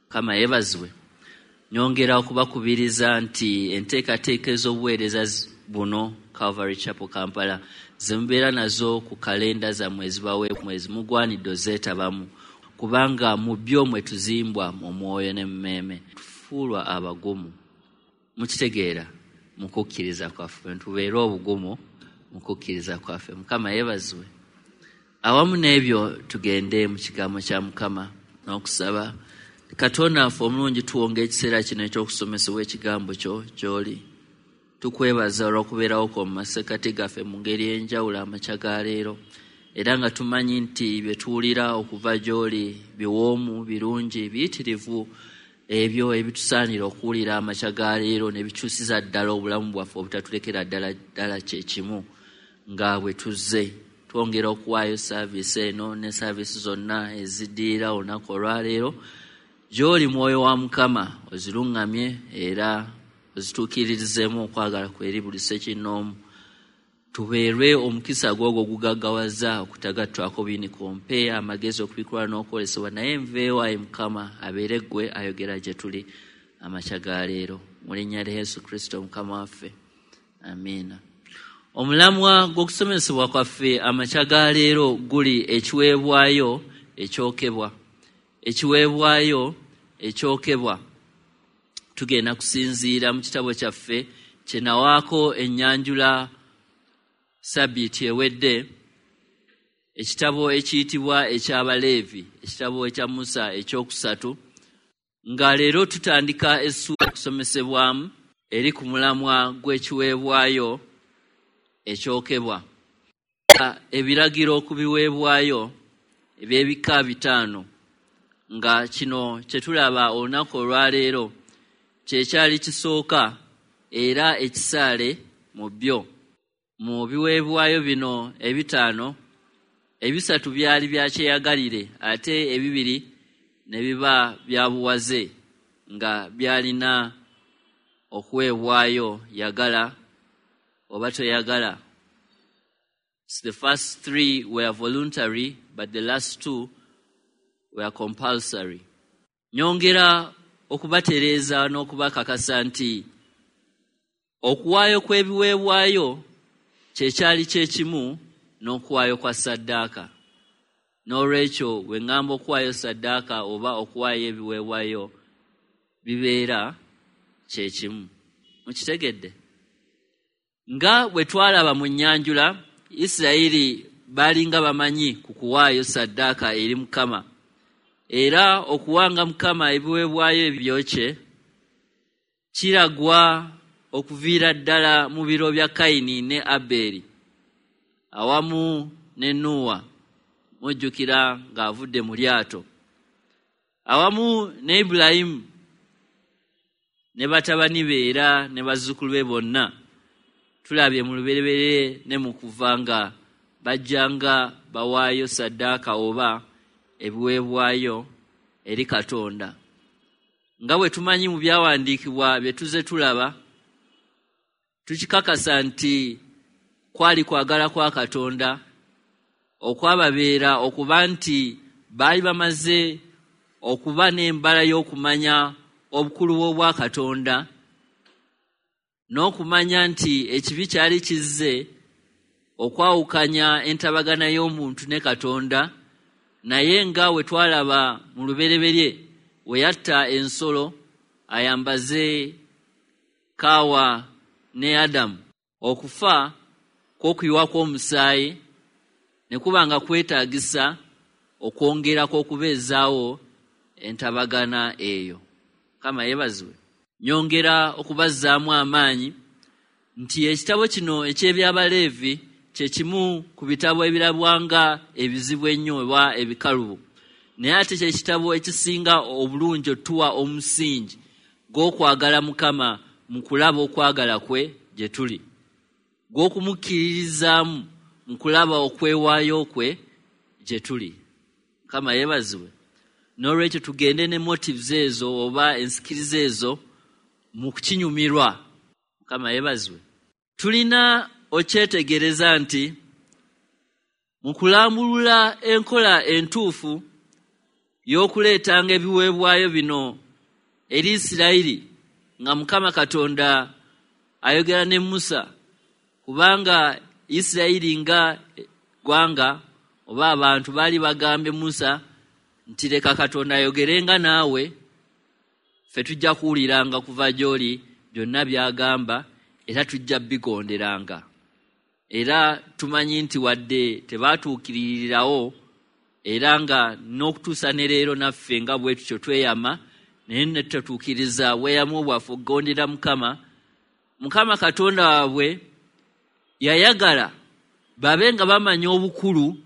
Mukama yeebazibwe. Nyongera okubakubiriza nti enteekateeka ez'obuweereza buno Calvary Chapel Kampala zemubeera nazo ku kalenda zammwe ezibaweebwa mugwanidde ozeetabamu, kubanga mu byo mwe tuzimbwa mu mwoyo ne mu mmeeme, tufuulwa abagumu. Mukitegeera mu kukkiriza kwaffe, tubeere obugumu mu kukkiriza kwaffe. Mukama yeebazibwe. Awamu n'ebyo tugende mu kigambo kya Mukama n'okusaba. Katonda waffe omulungi, tuwonga ekiseera kino eky'okusomesebwa ekigambo kyo gy'oli. Tukwebaza olw'okubeerawo kwo mu masekkati gaffe mu ngeri ey'enjawulo amakya ga leero, era nga tumanyi nti bye tuwulira okuva gy'oli biwoomu, birungi, biyitirivu, ebyo ebitusaanira okuwulira amakya ga leero ne bikyusiza ddala obulamu bwaffe obutatulekera ddala ddala kye kimu nga bwe tuzze. Twongera okuwaayo saaviisi eno ne saaviisi zonna eziddirira olunaku olwaleero gy'oli, mwoyo wa Mukama, oziruŋŋamye era ozituukiririzeemu okwagala kwe eri buli ssekinnoomu. Tubeerwe omukisa gw'ogwo ogugaggawaza okutagattwako buyinike. Mpe amagezi okubikula n'okwolesebwa, naye nveewo ayi Mukama, abeere ggwe ayogera gye tuli amakya ga leero. Mu linnya lya Yesu Kristo Mukama waffe, amiina. Omulamwa gw'okusomesebwa kwaffe amakya ga leero guli ekiweebwayo ekyokebwa. Ekiweebwayo ekyokebwa. Tugenda kusinziira mu kitabo kyaffe kye nawaako ennyanjula Sabbiiti ewedde, ekitabo ekiyitibwa eky'Abaleevi, ekitabo ekya Musa ekyokusatu, nga leero tutandika essuula okusomesebwamu eri ku mulamwa gw'ekiweebwayo ekyokebwa. Ebiragiro ku biweebwayo eby'ebika 5, nga kino kye tulaba olunaku olwaleero kye kyali kisooka era ekisaale mu byo. Mu biweebwayo bino 5, 3 byali bya kyeyagalire ate 2 ne biba bya buwaze, nga byalina okuweebwayo yagala oba toyagala. So the first 3 were voluntary, but the last 2 were compulsory. Nyongera okubatereeza n'okubakakasa nti okuwaayo kw'ebiweebwayo kye kyali kye kimu n'okuwaayo kwa ssaddaaka. N'olwekyo bwe ŋŋamba okuwaayo ssaddaaka oba okuwaayo ebiweebwayo bibeera kye kimu. Mukitegedde? Nga bwe twalaba mu nnyanjula, Isirayiri baalinga bamanyi ku kuwaayo ssaddaaka eri Mukama, era okuwanga Mukama ebiweebwayo ebyokye kiragwa okuviira ddala mu biro bya Kayini ne Abbeeri awamu ne Nuuwa, mujjukira ng'avudde mu lyato, awamu ne Ibulayimu ne batabani be era ne bazzukulu be bonna. Tulabye mu lubereberye ne mu kuva nga bajjanga bawaayo ssaddaaka oba ebiweebwayo eri Katonda. Nga bwe tumanyi mu byawandiikibwa bye tuzze tulaba, tukikakasa nti kwali kwagala kwa Katonda okwababeera okuba nti baali bamaze okuba n'embala y'okumanya obukulu bw'obwa Katonda n'okumanya nti ekibi kyali kizze okwawukanya entabagana y'omuntu ne Katonda. Naye nga we twalaba mu lubereberye we yatta ensolo ayambaze Kaawa ne Adamu, okufa kw'okuyiwa kw'omusaayi ne kuba nga kwetaagisa okwongerako okubeezaawo entabagana eyo. Mukama yeebazibwe. Nyongera okubazzaamu amaanyi nti ekitabo kino eky'Ebyabaleevi kye kimu ku bitabo ebirabwanga ebizibu ennyo oba ebikalubo, naye ate kye kitabo ekisinga obulungi otuwa omusingi gw'okwagala Mukama mu kulaba okwagala kwe gye tuli, gw'okumukkiririzaamu mu kulaba okwewaayo kwe gye tuli. Mukama yeebazibwe. N'olwekyo tugende ne motives ezo oba ensikiriza ezo mu kukinyumirwa. Mukama yeebazibwe. Tulina okyetegereza nti mu kulambulula enkola entuufu y'okuleetanga ebiweebwayo bino eri Isirayiri nga Mukama Katonda ayogera ne Musa, kubanga Isirayiri nga ggwanga oba abantu baali bagambye Musa nti leka Katonda ayogerenga naawe, ffe tujja kuwuliranga kuva gy'oli byonna by'agamba era tujja bigonderanga. Era tumanyi nti wadde tebaatuukiririrawo era nga n'okutuusa ne leero naffe nga bwe tutyo tweyama, naye ne tutatuukiriza bweyamu bwaffe okugondera Mukama. Mukama Katonda waabwe yayagala babe nga bamanya obukulu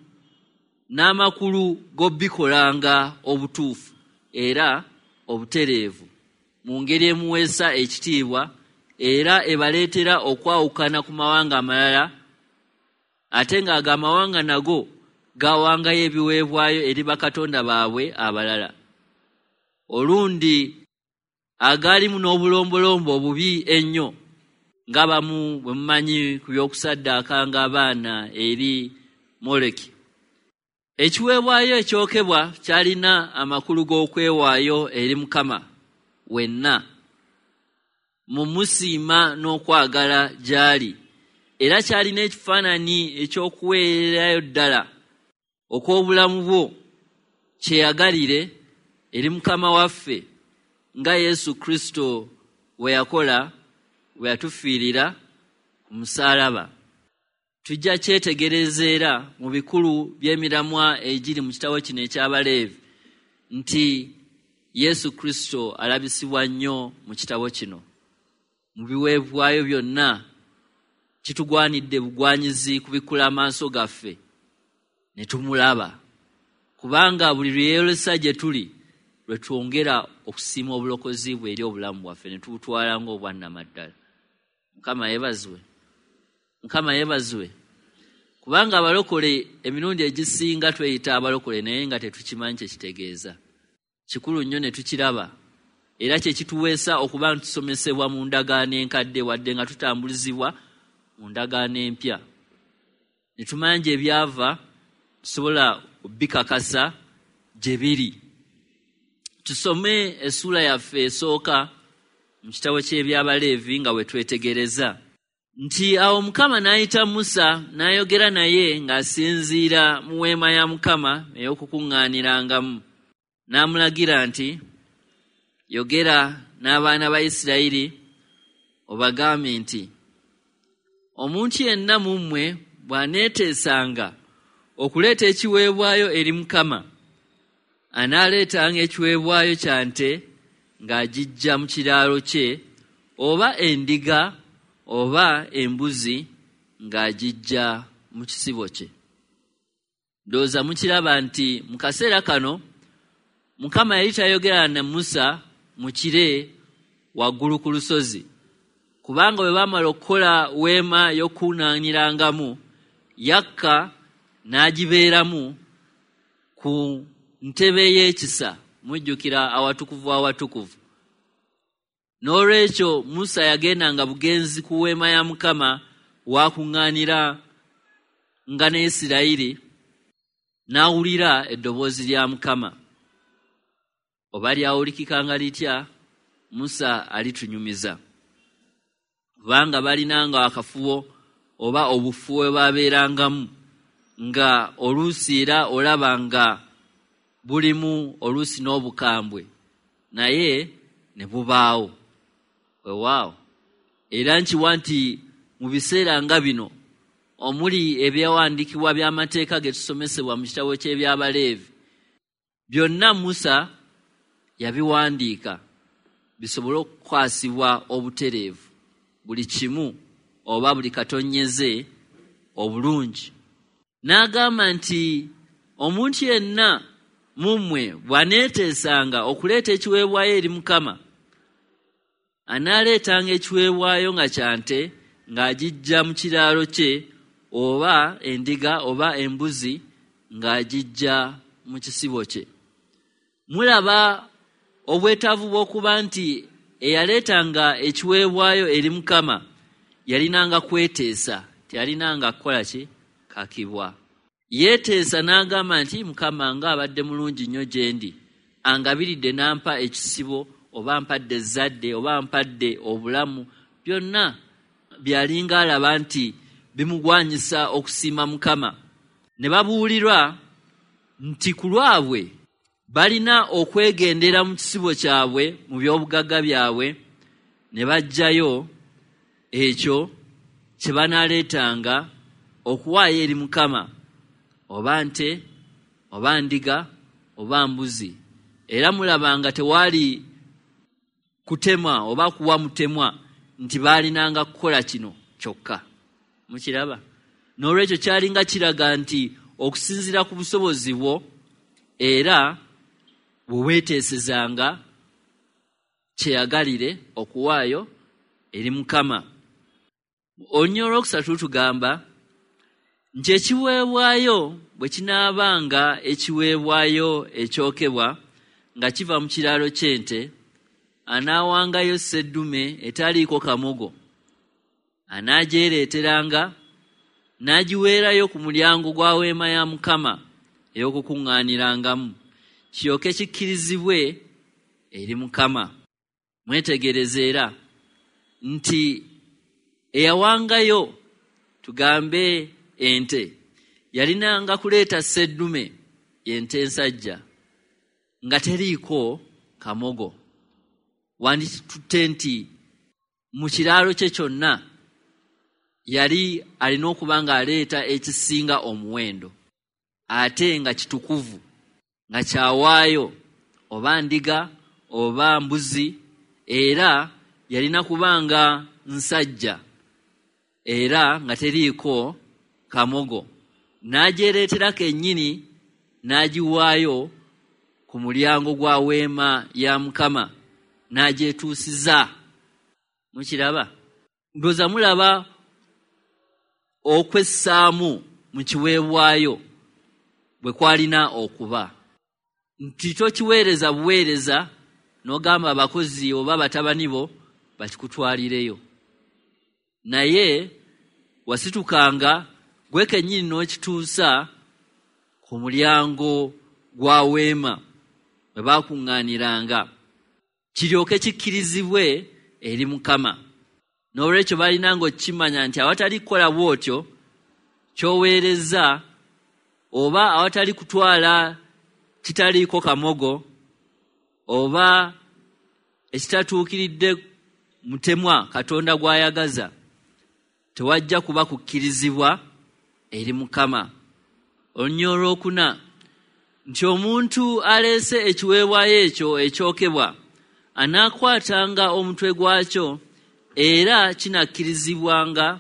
n'amakulu g'obikolanga obutuufu era obutereevu mu ngeri emuweesa ekitiibwa era ebaleetera okwawukana ku mawanga amalala, ate ng'ago amawanga nago gawangayo ebiweebwayo eri bakatonda baabwe abalala, olundi agaalimu n'obulombolombo obubi ennyo ng'abamu bwe mumanyi ku by'okusaddaakanga abaana eri Moleki. Ekiweebwayo ekyokebwa kyalina amakulu g'okwewaayo eri Mukama wenna mu musiima n'okwagala gy'ali, era kyalina ekifaananyi eky'okuweererayo ddala okw'obulamu bwo kyeyagalire eri Mukama waffe nga Yesu Kristo bwe yakola bwe yatufiirira ku musaalaba. Tujja kyetegereza era mu bikulu by'emiramwa egiri mu kitabo kino eky'Abaleevi nti Yesu Kristo alabisibwa nnyo mu kitabo kino. Mu biweebwayo byonna kitugwanidde bugwanyizi kubikkula amaaso gaffe ne tumulaba, kubanga buli lwe yeeyolesa gye tuli lwe twongera okusiima obulokozi bwe eri obulamu bwaffe ne tubutwala ng'obwannamaddala. Mukama yeebazibwe. Mukama yeebazibwe. Kubanga abalokole emirundi egisinga tweyita abalokole naye nga tetukimanyi kye kitegeeza. Kikulu nnyo ne tukiraba era kye kituweesa okuba nti tusomesebwa mu ndagaano enkadde wadde nga tutambulizibwa mu ndagaano empya. Ne tumanya gye byava, tusobola okubikakasa gye biri. Tusome essuula yaffe esooka mu kitabo ky'Ebyabaleevi nga bwe twetegereza nti awo Mukama n'ayita Musa n'ayogera naye ng'asinziira mu weema ya Mukama ey'okukuŋŋaanirangamu. N'amulagira nti, yogera n'abaana ba Isirayiri obagambe nti, omuntu yenna mu mmwe bw'aneeteesanga okuleeta ekiweebwayo eri Mukama, anaaleetanga ekiweebwayo kya nte ng'agiggya mu kiraalo kye, oba endiga oba embuzi ng'agiggya mu kisibo kye. Ndowooza mukiraba nti mu kaseera kano Mukama yali tayogera na Musa mu kire waggulu ku lusozi, kubanga bwe baamala okukola weema y'okukuŋŋaanirangamu, yakka n'agibeeramu ku ntebe y'ekisa, mujjukira awatukuvu awatukuvu. N'olwekyo Musa yagendanga bugenzi ku weema ya Mukama w'akuŋŋaanira nga ne Isirayiri, n'awulira eddoboozi lya Mukama. Oba lyawulikikanga litya, Musa alitunyumiza. Kubanga balinanga akafubo oba obufubo bwe babeerangamu, nga oluusi era olaba nga bulimu oluusi n'obukambwe, naye ne bubaawo. Weewaawo. Era nkiwa nti mu biseera nga bino omuli ebyawandiikibwa by'amateeka ge tusomesebwa mu kitabo ky'Ebyabaleevi, byonna Musa yabiwandiika bisobole okukwasibwa obutereevu buli kimu oba buli katonnyeze obulungi. N'agamba nti omuntu yenna mu mmwe bw'aneeteesanga okuleeta ekiweebwayo eri Mukama, anaaleetanga ekiweebwayo nga kya nte ng'agiggya mu kiraalo kye, oba endiga oba embuzi ng'agiggya mu kisibo kye. Mulaba obwetaavu bw'okuba nti eyaleetanga ekiweebwayo eri Mukama yalinanga kweteesa, teyalinanga kukola ki? Kakibwa. Yeeteesa n'agamba nti Mukama ng'abadde mulungi nnyo gye ndi, angabiridde n'ampa ekisibo, oba mpadde ezzadde, oba mpadde obulamu, byonna byalinga alaba nti bimugwanyisa okusiima Mukama. Ne babuulirwa nti ku lwabwe balina okwegendera mu kisibo kyabwe, mu by'obugagga byabwe, ne baggyayo ekyo kye banaaleetanga okuwaayo eri Mukama, oba nte, oba ndiga, oba mbuzi. Era mulaba nga tewaali kutemwa oba kuwa mutemwa nti baalinanga kukola kino kyokka. Mukiraba? N'olwekyo kyalinga kiraga nti okusinziira ku busobozi bwo era bwe weeteesezanga kyeyagalire okuwaayo eri Mukama. Olunyiriri olwokusatu tugamba nti ekiweebwayo bwe kinaabanga ekiweebwayo ekyokebwa nga kiva mu kiraalo ky'ente, anaawangayo sseddume etaliiko kamogo, anaajereeteranga n'agiweerayo ku mulyango gwa weema ya Mukama ey'okukuŋŋaanirangamu, kiryoke kikkirizibwe eri Mukama. Mwetegereze era nti eyawangayo, tugambe ente, yalinanga kuleeta sseddume y'ente ensajja nga teriiko kamogo. Wanditutte nti mu kiraalo kye kyonna yali alina okuba ng'aleeta ekisinga omuwendo, ate nga kitukuvu, nga kyawaayo oba ndiga oba mbuzi, era yalina kuba nga nsajja era nga teriiko kamogo, n'agyereetera kennyini n'agiwaayo ku mulyango gwa weema ya Mukama n'agyetuusiza. Mukiraba? Ndowooza mulaba okwessaamu mu kiweebwayo bwe kwalina okuba, nti tokiweereza buweereza n'ogamba abakozi oba batabani bo bakikutwalireyo, naye wasitukanga gwe kennyini n'okituusa ku mulyango gwa weema bwe baakuŋŋaaniranga, kiryoke kikkirizibwe eri Mukama. N'olwekyo balinanga okukimanya nti awatali kukola bw'otyo ky'oweereza oba awatali kutwala kitaliiko kamogo oba ekitatuukiridde mutemwa Katonda gw'ayagaza, tewajja kuba kukkirizibwa eri Mukama. Olunyiriri olwokuna nti omuntu aleese ekiweebwayo ekyo ekyokebwa anaakwatanga omutwe gwakyo, era kinakkirizibwanga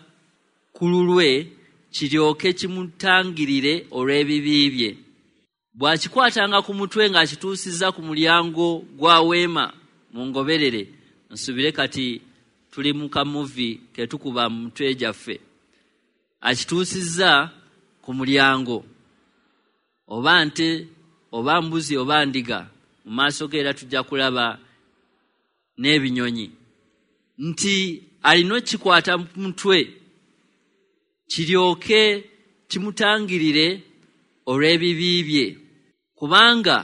ku lulwe kiryoke kimutangirire olw'ebibi bye. Bw'akikwatanga ku mutwe ng'akituusizza ku mulyango gwa weema mu ngoberere, nsubire kati tuli mu kamuvi ketukuba mu mutwe gyaffe, akituusizza ku mulyango, oba nte oba mbuzi oba ndiga, mu maaso ge era tujja kulaba n'ebinyonyi, nti alina okukikwata ku mutwe kiryoke kimutangirire olw'ebibi bye, kubanga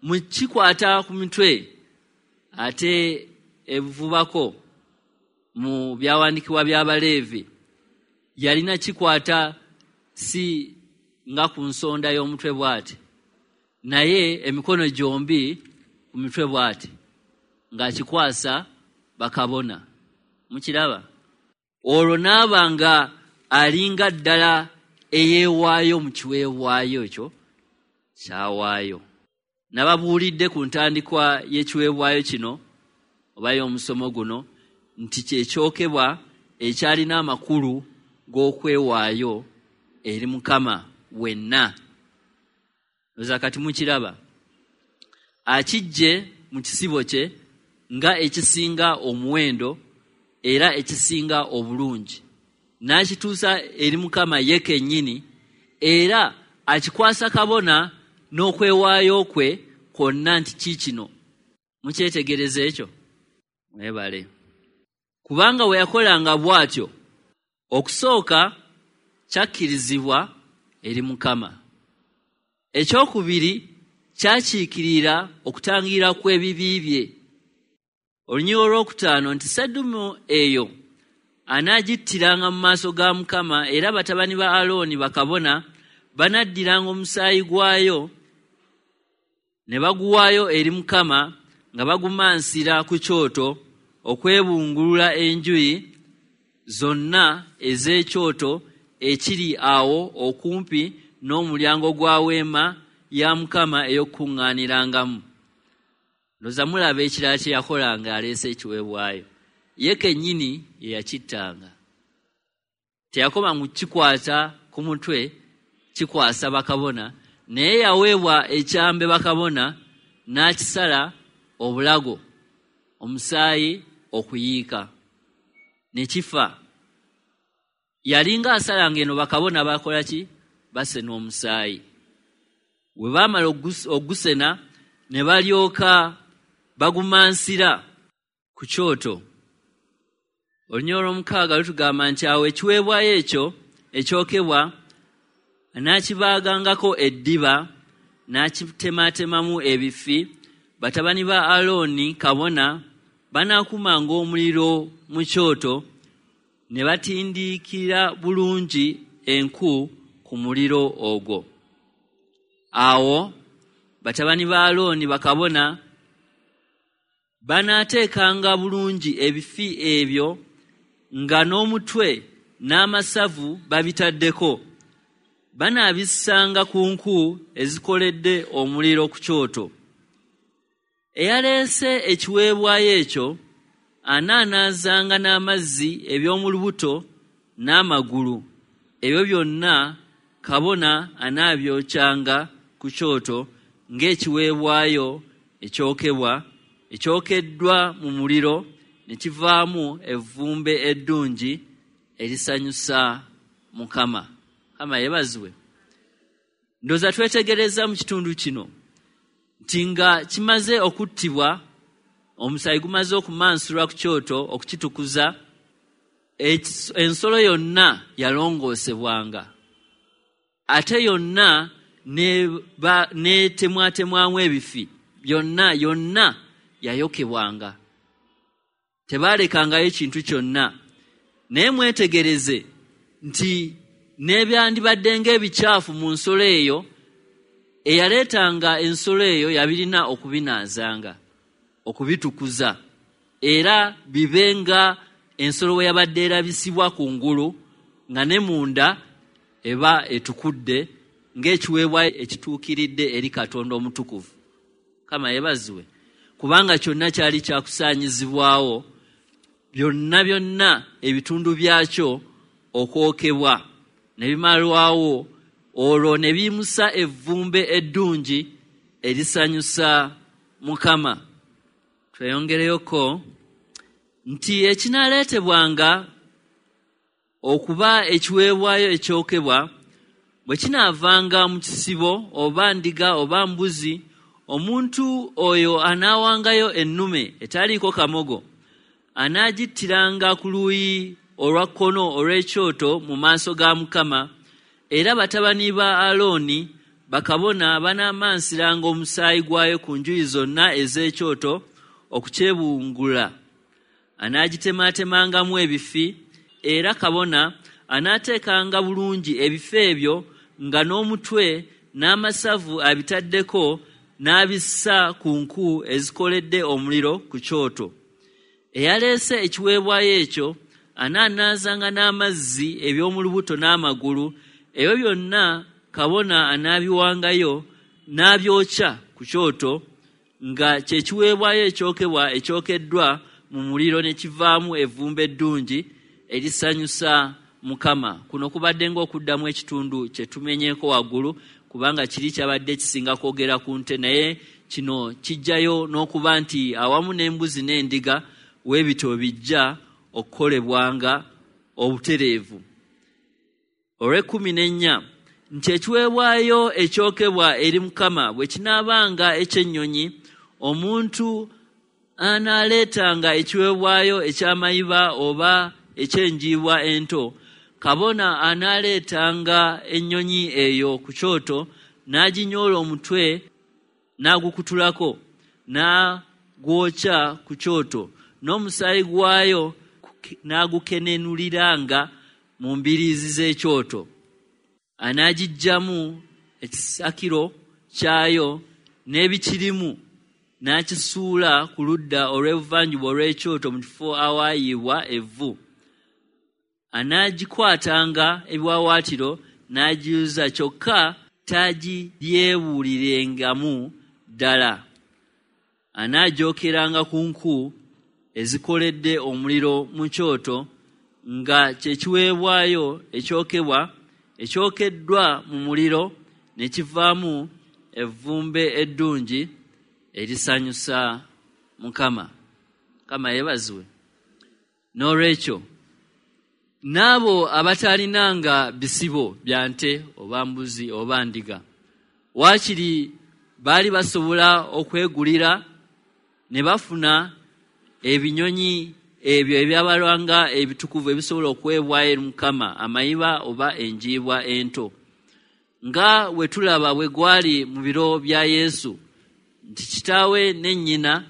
mu kikwata ku mitwe ate ebuvubako mu byawandiikibwa by'Abaleevi yalina kikwata si nga ku nsonda y'omutwe bw'ati, naye emikono gyombi ku mitwe bw'ati ng'akikwasa bakabona. Mukiraba? Olwo n'aba nga alinga ddala eyeewaayo mu kiweebwayo ekyo kyawaayo. Nababuulidde ku ntandikwa y'ekiweebwayo kino oba y'omusomo guno nti kyekyokebwa ekyalina amakulu g'okwewaayo eri Mukama wenna. Oza kati mukiraba, akiggye mu kisibo kye nga ekisinga omuwendo era ekisinga obulungi, n'akituusa eri Mukama ye kennyini, era akikwasa kabona n'okwewaayo kwe kwonna nti kiikino. Mukyetegereza ekyo? Mwebale. Kubanga bwe yakolanga bw'atyo, okusooka kyakkirizibwa eri Mukama, ekyokubiri kyakiikirira okutangira kw'ebibi bye. Olunyiriri olwokutaano nti sseddume eyo anaagittiranga mu maaso ga Mukama, era batabani ba Alooni bakabona banaddiranga omusaayi gwayo ne baguwaayo eri Mukama nga bagumansira ku kyoto okwebungulula enjuyi zonna ez'ekyoto ekiri awo okumpi n'omulyango gwa weema ya Mukama ey'okukuŋŋaanirangamu. Ndowooza mulaba ekirala kye yakolanga aleese ekiweebwayo. Ye kennyini ye yakittanga. Teyakoma mu kikwata ku mutwe, kikwasa bakabona, naye yaweebwa ekyambe bakabona n'akisala obulago, omusaayi okuyiika ne kifa. Yalinga asalanga eno bakabona bakola ki? Basena omusaayi. Bwe baamala ogusena ne balyoka bagumansira ku kyoto. Olunyiriri olwomukaaga lutugamba nti awo ekiweebwayo ekyo ekyokebwa n'akibaagangako eddiba n'akitemaatemamu ebifi. Batabani ba Alooni kabona banaakumanga omuliro mu kyoto ne batindiikira bulungi enku ku muliro ogwo. Awo batabani ba Alooni bakabona banaateekanga bulungi ebifi ebyo nga n'omutwe n'amasavu babitaddeko. Banaabissanga ku nku ezikoledde omuliro ku kyoto. Eyaleese ekiweebwayo ekyo anaanaazanga n'amazzi eby'omu lubuto n'amagulu. Ebyo byonna kabona anaabyokyanga ku kyoto ng'ekiweebwayo ekyokebwa ekyokeddwa mu muliro ne kivaamu evvumbe eddungi erisanyusa Mukama. Mukama yeebazibwe. Ndowooza twetegereza mu kitundu kino nti nga kimaze okuttibwa, omusaayi gumaze okumansulwa ku kyoto okukitukuza, ensolo yonna yalongoosebwanga, ate yonna n'etemwatemwamu ebifi byonna, yonna yayokebwanga, tebaalekangayo kintu kyonna. Naye mwetegereze nti n'ebyandibadde ng'ebikyafu mu nsolo eyo, eyaleetanga ensolo eyo yabirina okubinaazanga, okubitukuza, era bibe nga ensolo bwe yabadde erabisibwa ku ngulu, nga ne munda eba etukudde ng'ekiweebwayo ekituukiridde eri Katonda omutukuvu. Mukama yeebazibwe. Kubanga kyonna kyali kyakusaanyizibwawo, byonna byonna ebitundu byakyo okwokebwa ne bimalwawo, olwo ne biyimusa evvumbe eddungi erisanyusa Mukama. Tweyongereyoko nti ekinaaleetebwanga okuba ekiweebwayo ekyokebwa bwe kinaavanga mu kisibo oba ndiga oba mbuzi, omuntu oyo anaawangayo ennume etaliiko kamogo, anaagittiranga ku luuyi olwa kkono olw'ekyoto mu maaso ga Mukama, era batabani ba Alooni bakabona banaamansiranga omusaayi gwayo ku njuyi zonna ez'ekyoto okukyebungula. Anaagitemaatemangamu ebifi, era kabona anaateekanga bulungi ebifi ebyo nga n'omutwe n'amasavu abitaddeko n'abissa ku nku ezikoledde omuliro ku kyoto. Eyaleese ekiweebwayo ekyo anaanaazanga n'amazzi eby'omu lubuto n'amagulu, ebyo byonna kabona anaabiwangayo n'abyokya ku kyoto nga kye kiweebwayo ekyokebwa ekyokeddwa mu muliro ne kivaamu evvumbe eddungi erisanyusa Mukama. Kuno kubadde ng'okuddamu ekitundu kye tumenyeeko waggulu, kubanga kiri kyabadde kisinga kwogera ku nte, naye kino kijjayo n'okuba nti awamu n'embuzi n'endiga weebityo bijja okukolebwanga obutereevu. Olw'ekkumi n'ennya nti ekiweebwayo ekyokebwa eri Mukama bwe kinaabanga eky'ennyonyi, omuntu anaaleetanga ekiweebwayo eky'amayiba oba eky'enjiibwa ento, kabona anaaleetanga ennyonyi eyo ku kyoto n'aginyoola omutwe n'agukutulako n'agwokya ku kyoto, n'omusaayi gwayo n'agukenenuliranga mu mbiriizi z'ekyoto. Anaagiggyamu ekisakiro kyayo n'ebikirimu n'akisuula ku ludda olw'ebuvanjuba olw'ekyoto mu kifo awaayiibwa evvu. Anaagikwatanga ebiwaawaatiro n'agiyuza, kyokka tagiryebuulirengamu ddala. Anaagyokeranga ku nku ezikoledde omuliro mu kyoto, nga kye kiweebwayo ekyokebwa ekyokeddwa mu muliro, ne kivaamu evvumbe eddungi erisanyusa Mukama. Mukama yeebazibwe. N'olwekyo n'abo abataalinanga bisibo bya nte oba mbuzi oba ndiga, waakiri baali basobola okwegulira ne bafuna ebinyonyi ebyo ebyabalwanga ebitukuvu ebisobola okuweebwayo eri Mukama, amayiba oba enjiibwa ento. Nga bwe tulaba bwe gwali mu biro bya Yesu, nti kitaawe ne nnyina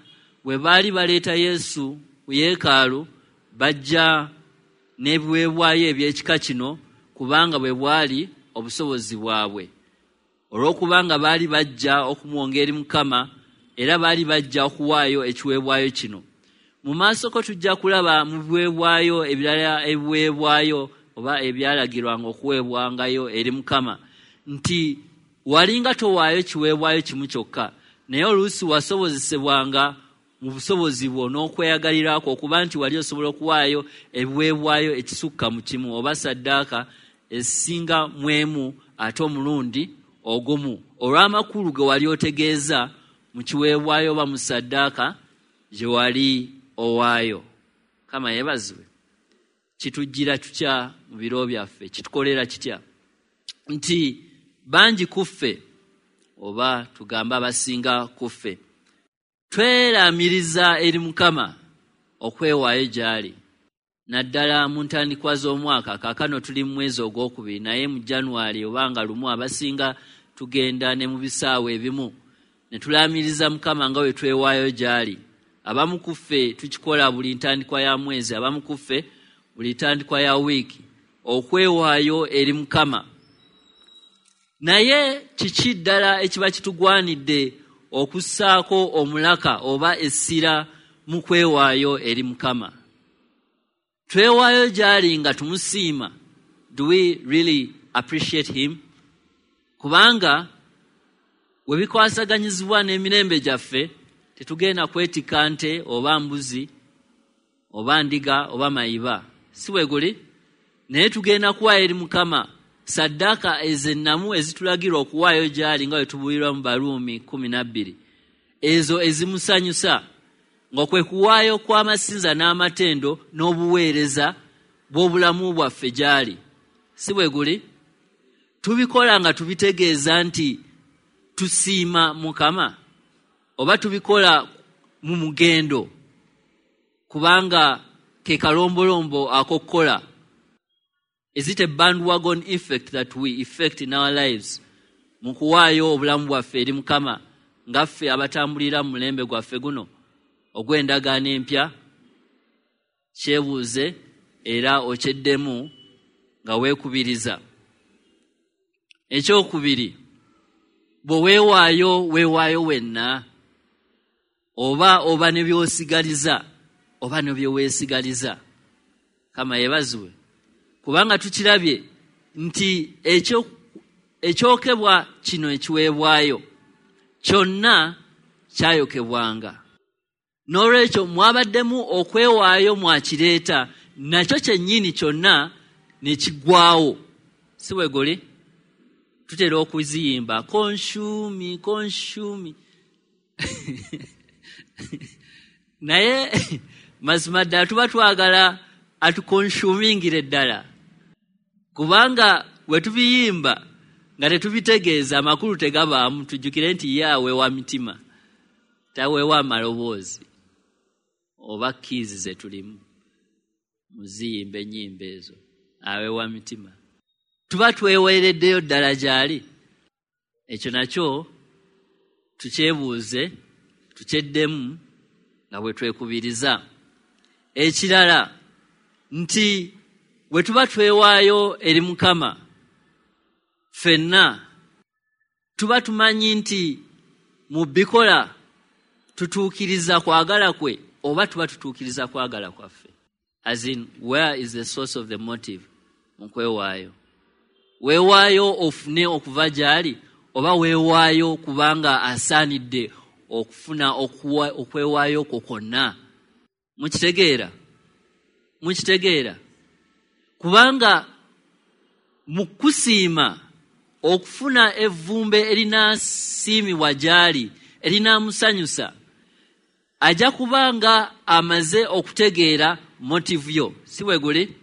bwe baali baleeta Yesu ku yeekaalu, bajja n'ebiweebwayo eby'ekika kino, kubanga bwe bwali obusobozi bwabwe. Olw'okubanga baali bajja okumuwonga eri Mukama, era baali bajja okuwaayo ekiweebwayo kino. Mu maaso ko tujja kulaba mu biweebwayo ebirala ebiweebwayo oba ebyalagirwanga okuweebwangayo eri Mukama, nti walinga towaayo kiweebwayo kimu kyokka, naye oluusi wasobozesebwanga mu busobozi bwo n'okweyagalirako okuba nti wali osobola okuwaayo ebiweebwayo ekisukka mu kimu oba saddaaka esinga mu emu ate omulundi ogumu, olw'amakulu ge wali otegeeza mu kiweebwayo oba mu saddaaka gye wali owaayo. Mukama yeebazibwe. Kitujjira tutya mu biro byaffe? Kitukolera kitya? Nti bangi ku ffe, oba tugambe abasinga ku ffe, tweramiriza eri Mukama okwewaayo gy'ali, naddala mu ntandikwa z'omwaka. Kaakano tuli mu mwezi ogwokubiri, naye mu January oba nga lumu abasinga tugenda ne mu bisaawe ebimu ne tulamiriza Mukama nga bwe twewaayo gy'ali. Abamu ku ffe tukikola buli ntandikwa ya mwezi, abamu ku ffe buli ntandikwa ya wiiki, okwewaayo eri Mukama. Naye kiki ddala ekiba kitugwanidde okussaako omulaka oba essira mu kwewaayo eri Mukama? Twewaayo gy'ali nga tumusiima. Do we really appreciate him? Kubanga we bikwasaganyizibwa n'emirembe gyaffe, tetugenda kwetikka nte oba mbuzi oba ndiga oba mayiba, si bwe guli? Naye tugenda kuwaayo eri Mukama saddaaka ezennamu ezitulagirwa okuwaayo gy'ali nga bwe tubuulirwa mu Baruumi 12, ezo ezimusanyusa, nga kwe kuwaayo kw'amasinza n'amatendo n'obuweereza bw'obulamu bwaffe gy'ali, si bwe guli? Tubikola nga tubitegeeza nti tusiima Mukama, oba tubikola mu mugendo kubanga ke kalombolombo ak'okukola? Is it a bandwagon effect that we effect in our lives mu kuwaayo obulamu bwaffe eri Mukama nga ffe abatambulira mu mulembe gwaffe guno ogw'endagaano empya? Kyebuuze era okyeddemu nga weekubiriza. Ekyokubiri, bwe weewaayo, weewaayo wenna, oba oba ne by'osigaliza oba ne bye weesigaliza. Mukama yeebazibwe. Kubanga tukirabye nti ekyokebwa kino ekiweebwayo kyonna kyayokebwanga. N'olwekyo mwabaddemu okwewaayo mwakireeta, nakyo kyennyini kyonna ne kiggwaawo. Si bwe guli? Tutera okuziyimba consume, consume. Naye mazima ddala tuba twagala atukonsumingire ddala, kubanga bwe tubiyimba nga tetubitegeeza amakulu tegabaamu. Tujjukire nti ye aweewa mitima, taweewa amaloboozi oba kkiizi ze tulimu muziyimba ennyimba ezo, aweewa mitima. Tuba tweweereddeyo ddala gy'ali. Ekyo nakyo Tukyebuuze, tukyeddemu nga bwe twekubiriza. Ekirala nti bwe tuba twewaayo eri Mukama ffenna tuba tumanyi nti mu bikola tutuukiriza kwagala kwe oba tuba tutuukiriza kwagala kwaffe. As in, where is the source of the motive mu kwewaayo? Weewaayo ofune okuva gy'ali oba weewaayo kubanga asaanidde okufuna okwewaayo kwo kwonna? Mukitegeera? Mukitegeera? Kubanga mu kusiima okufuna evvumbe erinaasiimibwa gy'ali, erinaamusanyusa, ajja kubanga amaze okutegeera motive yo, si bwe guli?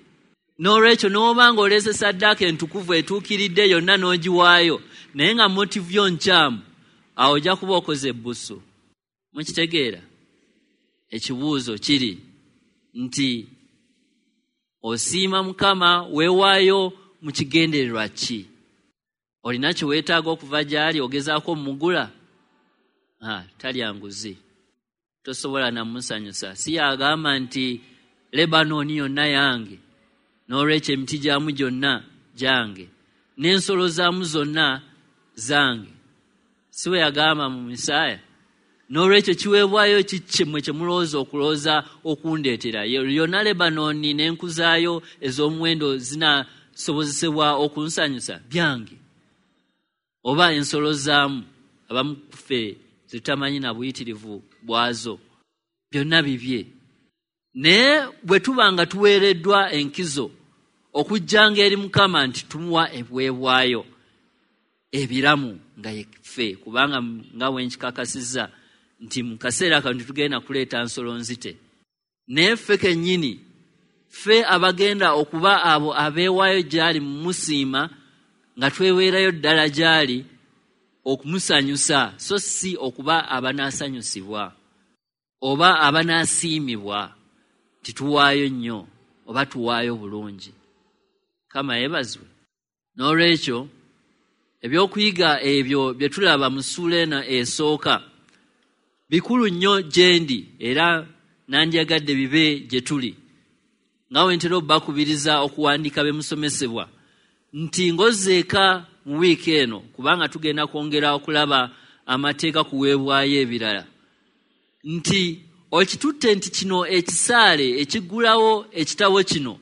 N'olwekyo n'oba ng'oleese ssaddaaka entukuvu etuukiridde yonna n'ogiwaayo, naye nga motive yo nkyamu, awo ojja kuba okoze ebbusu. Mukitegeera? Ekibuuzo kiri nti osiima Mukama, weewaayo mu kigendererwa ki? Olina kye weetaaga okuva gy'ali, ogezaako omugula? Talya nguzi, tosobola namusanyusa. Si yagamba nti Lebanoni yonna yange, n'olwekyo emiti gyamu gyonna gyange, n'ensolo zaamu zonna zange. Si we yagamba mu Misaaya? N'olwekyo kiweebwayo ki mmwe kye mulowooza okulowooza okundeetera? Yonna Lebanoni n'enku zaayo ez'omuwendo zinasobozesebwa okunsanyusa? Byange. Oba ensolo zaamu, abamu kuffe zitamanyi na buyitirivu bwazo, byonna bibye. Naye bwe tuba nga tuweereddwa enkizo okujjanga eri Mukama nti tumuwa ebiweebwayo ebiramu nga yeffe, kubanga nga bwe nkikakasizza nti mu kaseera kano tetugenda kuleeta nsolo nzite, naye ffe kennyini, ffe abagenda okuba abo abeewaayo gy'ali mu musiima, nga tweweerayo ddala gy'ali okumusanyusa, so si okuba abanaasanyusibwa oba abanaasiimibwa nti tuwaayo nnyo oba tuwaayo bulungi. Mukama yeebazibwe. N'olwekyo ebyokuyiga ebyo bye tulaba mu ssuula eno esooka bikulu nnyo gye ndi, era nandyagadde bibe gye tuli. Nga bwe ntera obbakubiriza okuwandiika be musomesebwa nti ng'ozzeeka mu wiiki eno, kubanga tugenda kwongera okulaba amateeka kuweebwayo ebirala, nti okitutte nti kino ekisaale ekiggulawo ekitabo kino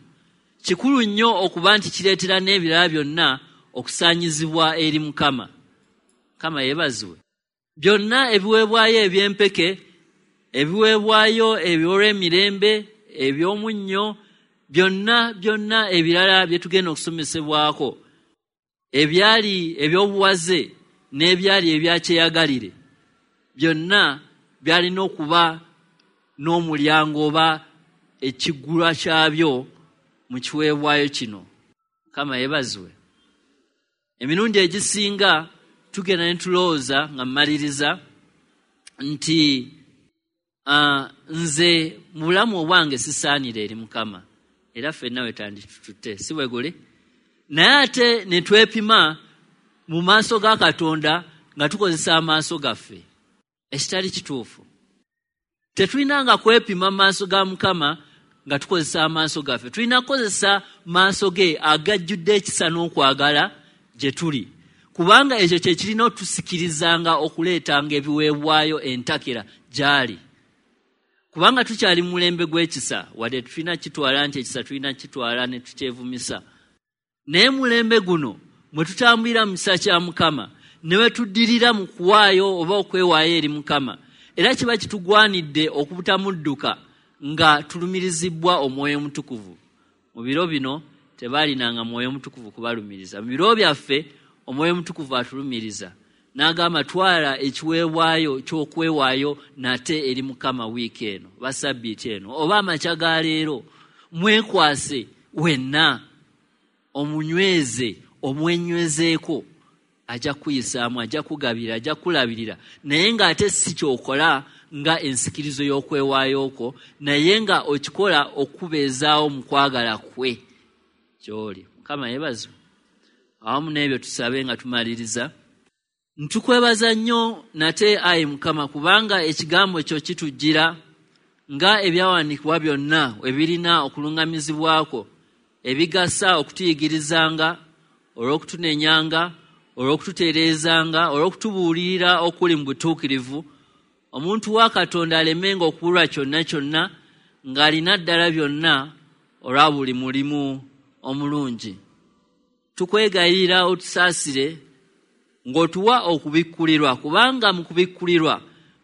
kikulu nnyo okuba nti kireetera n'ebirala byonna okusaanyizibwa eri Mukama. Mukama yeebazibwe. Byonna ebiweebwayo eby'empeke, ebiweebwayo eby'olw'emirembe, eby'omunnyo, byonna byonna ebirala bye tugenda okusomesebwako, ebyali eby'obuwaze n'ebyali ebyakyeyagalire, byonna byalina okuba n'omulyango oba ekiggulwa kyabyo mu kiweebwayo kino. Mukama yeebazibwe. Emirundi egisinga tugenda ne tulowooza nga mmaliriza nti nze mu bulamu obwange sisaanira eri Mukama, era ffenna we tanditututte, si bwe guli? Naye ate ne twepima mu maaso ga Katonda nga tukozesa amaaso gaffe, ekitali kituufu. Tetulinanga kwepima mu maaso ga Mukama nga tukozesa amaaso gaffe. Tulina kukozesa maaso ge agajjudde ekisa n'okwagala gye tuli, kubanga ekyo kye kirina otusikirizanga okuleetanga ebiweebwayo entakera gy'ali. Kubanga tukyali mu mulembe gw'ekisa, wadde tulina kitwala nti ekisa tulina kitwala ne tukyevumisa, naye mulembe guno mwe tutambulira mu kisa kya Mukama ne we tuddirira mu kuwaayo oba okwewaayo eri Mukama, era kiba kitugwanidde okubutamudduka nga tulumirizibbwa Omwoyo Omutukuvu. Mu biro bino tebaalinanga Mwoyo Mutukuvu kubalumiriza. Mu biro byaffe Omwoyo Omutukuvu atulumiriza n'agamba twala ekiweebwayo ky'okwewaayo nate eri Mukama wiiki eno oba sabbiiti eno oba amakya ga leero, mwekwase wenna, omunyweze, omwenywezeeko, ajja kuyisaamu, ajja kugabira, ajja kulabirira, naye ng'ate si ky'okola nga ensikirizo y'okwewaayo okwo, naye nga okikola okubeezaawo mu kwagala kwe ky'oli. Mukama yeebazibwe. Awamu n'ebyo tusabe nga tumaliriza. Ntukwebaza nnyo nate, ayi Mukama, kubanga ekigambo kyo kitujjira nga ebyawandiikibwa byonna ebirina okuluŋŋamizibwako, ebigasa okutuyigirizanga, olw'okutunenyanga, olw'okututereezanga, olw'okutubuulirira okuli mu butuukirivu, omuntu wa Katonda alemenga okubulwa kyonna kyonna, ng'alina ddala byonna olwa buli mulimu omulungi. Tukwegayirira otusaasire ng'otuwa okubikkulirwa, kubanga mu kubikkulirwa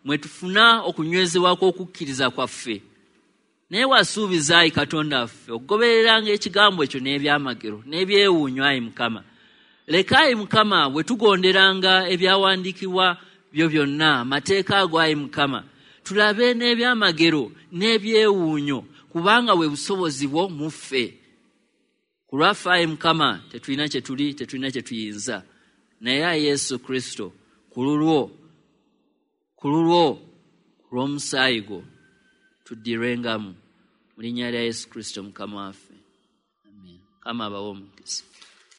mwe tufuna okunywezebwa kw'okukkiriza kwaffe. Naye wasuubiza, ayi Katonda waffe, okugobereranga ekigambo ekyo n'ebyamagero n'ebyewuunyo, ayi Mukama. Leka, ayi Mukama, bwe tugonderanga ebyawandiikibwa byo byonna, amateeka ago, ayi Mukama, tulabe n'ebyamagero n'ebyewuunyo, kubanga bwe busobozi bwo mu ffe. Ku lwaffe, ayi Mukama, tetulina kye tuli, tetulina kye tuyinza, naye ayi Yesu Kristo, ku lulwo, ku lulwo, ku lw'omusaayi gwo, tuddirwengamu. Mu linnya lya Yesu Kristo Mukama waffe, amen. Mukama abawe omukisa.